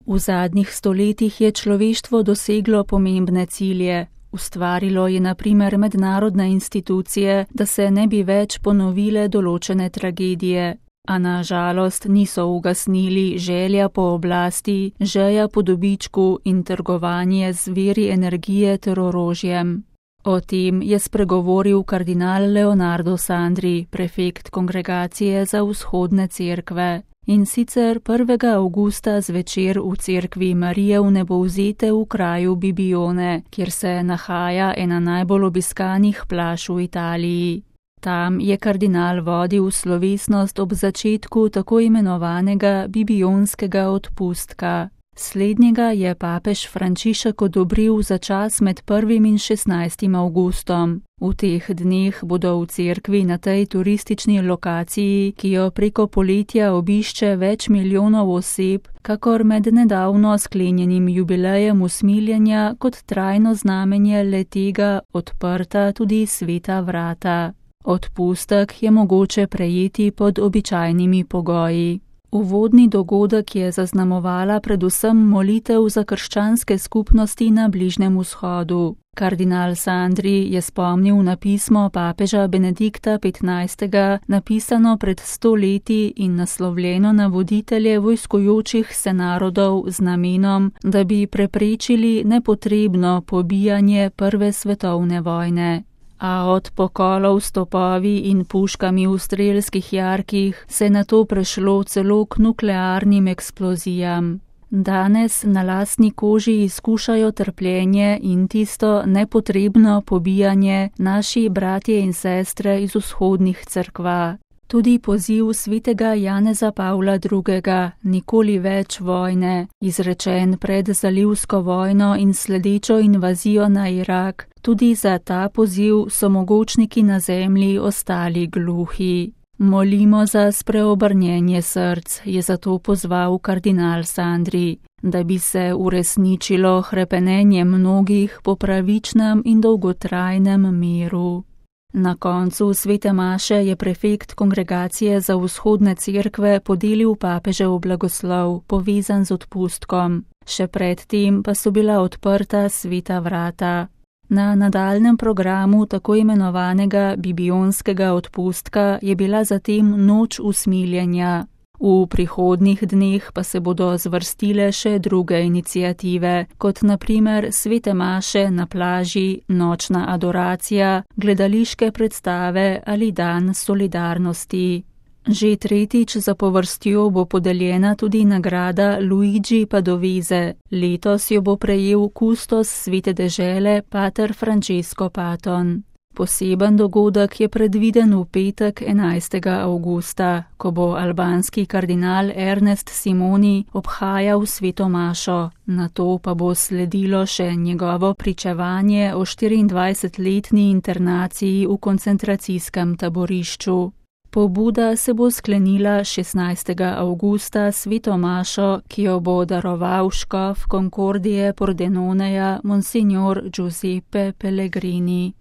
V zadnjih stoletjih je človeštvo doseglo pomembne cilje. Ustvarilo je na primer mednarodne institucije, da se ne bi več ponovile določene tragedije, a na žalost niso ugasnili želja po oblasti, žeja po dobičku in trgovanje z viri energije ter orožjem. O tem je spregovoril kardinal Leonardo Sandri, prefekt Kongregacije za vzhodne cerkve. In sicer 1. avgusta zvečer v cerkvi Marije Vnebovzete v kraju Bibione, kjer se nahaja ena najbolj obiskanih plaž v Italiji. Tam je kardinal vodil slovesnost ob začetku tako imenovanega bibionskega odpustka. Slednjega je papež Frančišek odobril za čas med 1. in 16. avgustom. V teh dneh bodo v cerkvi na tej turistični lokaciji, ki jo preko poletja obišče več milijonov oseb, kakor med nedavno sklenjenim jubilejem usmiljenja kot trajno znamenje le-tega odprta tudi sveta vrata. Odpustek je mogoče prejeti pod običajnimi pogoji. Uvodni dogodek je zaznamovala predvsem molitev za krščanske skupnosti na Bližnjem vzhodu. Kardinal Sandri je spomnil na pismo papeža Benedikta XV, napisano pred 100 leti in naslovljeno na voditelje vojskujočih se narodov z namenom, da bi preprečili nepotrebno pobijanje Prve svetovne vojne. A od pokolov s topovi in puškami v strelskih jarkih se je nato prešlo celo k nuklearnim eksplozijam. Danes na lastni koži izkušajo trpljenje in tisto nepotrebno pobijanje naši bratje in sestre iz vzhodnih cerkva. Tudi poziv svetega Janeza Pavla II. Nikoli več vojne, izrečen pred zalivsko vojno in sledečo invazijo na Irak, tudi za ta poziv so mogočniki na zemlji ostali gluhi. Molimo za spreobrnjenje src, je zato pozval kardinal Sandri, da bi se uresničilo hrepenenje mnogih po pravičnem in dolgotrajnem miru. Na koncu svete maše je prefekt Kongregacije za vzhodne cerkve podelil papežev blagoslov, povezan z odpustkom. Še predtem pa so bila odprta sveta vrata. Na nadaljnjem programu tako imenovanega bibionskega odpustka je bila zatem noč usmiljenja. V prihodnjih dneh pa se bodo zvrstile še druge iniciative, kot na primer svete maše na plaži, nočna adoracija, gledališke predstave ali dan solidarnosti. Že tretjič zapovrstjo bo podeljena tudi nagrada Luigi Padovese. Letos jo bo prejel kustos svete dežele pater Francesco Paton. Poseben dogodek je predviden v petek 11. avgusta, ko bo albanski kardinal Ernest Simoni obhajal sveto mašo. Nato pa bo sledilo še njegovo pričevanje o 24-letni internaciji v koncentracijskem taborišču. Pobuda se bo sklenila 16. avgusta sveto mašo, ki jo bo daroval škof Concordie Pordenoneja Monsignor Giuseppe Pellegrini.